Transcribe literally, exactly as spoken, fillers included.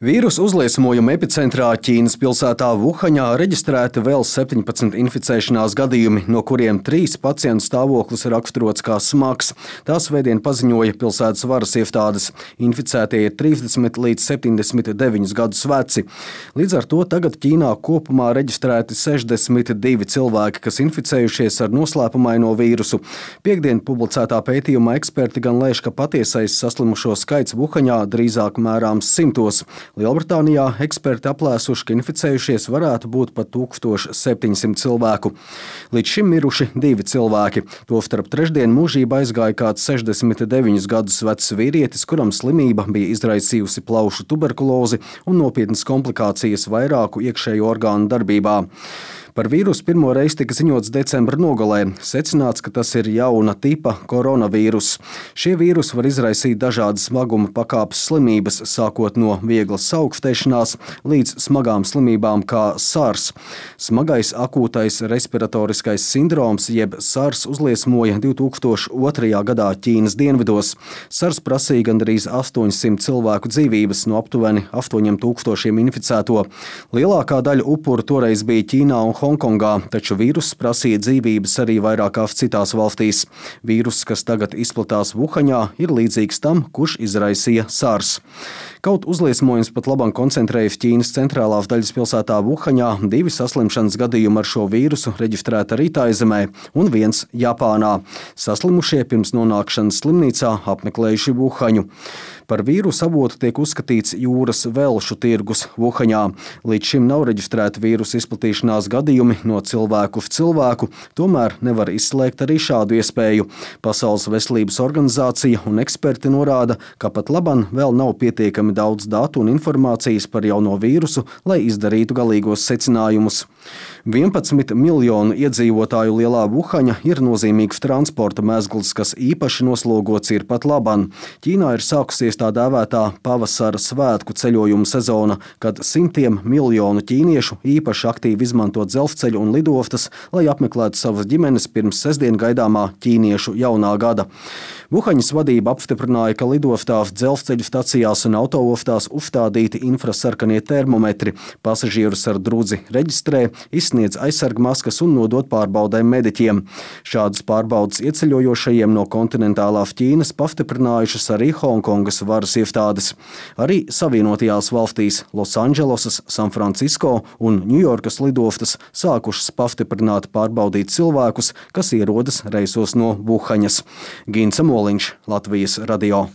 Vīrusu uzliesmojuma epicentrā Ķīnas pilsētā Vuhaņā reģistrēti vēl septiņpadsmit inficēšanās gadījumi, no kuriem trīs pacientu stāvoklis raksturots kā smags. Tā svētdien paziņoja pilsētas varas iestādes. Inficētie ir trīsdesmit līdz septiņdesmit deviņus gadus veci. Līdz ar to tagad Ķīnā kopumā reģistrēti sešdesmit divi cilvēki, kas inficējušies ar noslēpumaino vīrusu. Piektdien publicētā pētījumā eksperti gan lēš, ka patiesais saslimušo skaits Vuhaņā drīzāk mērāms simtos. Lielbritānijā eksperti aplēsuši, ka inficējušies varētu būt pat tūkstoš septiņsimt cilvēku. Līdz šim miruši divi cilvēki. Tostarp trešdien mūžībā aizgāja kāds sešdesmit deviņus gadus vecs vīrietis, kuram slimība bija izraisījusi plaušu tuberkulozi un nopietnas komplikācijas vairāku iekšējo orgānu darbībā. Par vīrusu pirmo reizi tika ziņots decembra nogalē. Secināts, ka tas ir jauna tipa koronavīrus. Šie vīrusi var izraisīt dažādas smaguma pakāpes slimības, sākot no vieglas saaugstēšanās līdz smagām slimībām kā SARS. Smagais akūtais respiratoriskais sindroms jeb SARS uzliesmoja divi tūkstoši otrajā gadā Ķīnas dienvidos. SARS prasīja gandrīz astoņsimt cilvēku dzīvības no aptuveni astoņiem tūkstošiem inficēto. Lielākā daļa upuru toreiz bija Ķīnā un Hongkongā, taču vīruss prasīja dzīvības arī vairākās citās valstīs. Vīruss, kas tagad izplatās Vuhaņā, ir līdzīgs tam, kurš izraisīja SARS. Kaut uzliesmojums pat labam koncentrējas Ķīnas centrālās daļas pilsētā Vuhaņā, divi saslimšanas gadījumi ar šo vīrusu reģistrēti arī Taizemē un viens Japānā. Saslimušie pirms nonākšanas slimnīcā apmeklējuši Vuhaņu. Par vīrusu avotu tiek uzskatīts jūras velšu tirgus Vuhaņā. Līdz šim nav reģistrēti vīrusu izplatīšanās gadījumi no cilvēku uz cilvēku, tomēr nevar izslēgt arī šādu iespēju. Pasaules veselības organizācija un eksperti norāda, ka pat laban vēl nav pietiekami daudz datu un informācijas par jauno vīrusu, lai izdarītu galīgos secinājumus. vienpadsmit miljonu iedzīvotāju lielā Vuhaņa ir nozīmīgs transporta mezgls, kas īpaši noslogots ir pat laban. Ķīnā ir sākusies tā dēvētā pavasara svētku ceļojumu sezona, kad simtiem miljonu ķīniešu īpaši aktīvi izmanto dzelzceļu un lidostas, lai apmeklētu savas ģimenes pirms sestdien gaidāmā ķīniešu jaunā gada. Vuhaņas vadība apstiprināja, ka lidostās, dzelzceļu stacijās un autoostās uzstādīti infrasarkanie termometri. Pasažierus ar drudzi reģistrē, izsniedz aizsargmaskas un nodot pārbaudēm mediķiem. Šādas pārbaudes ieceļojošajiem no kontinentālās Ķīnas pastiprinājušas arī Hongkongas varas iestādes. Arī Savienotajās valstīs Losandželosas, Sanfrancisko un Ņujorkas lidostas sākušas pastiprināt pārbaudīt cilvēkus, kas ierodas reisos no Vuhaņas. Gints Moliņš, Latvijas radio.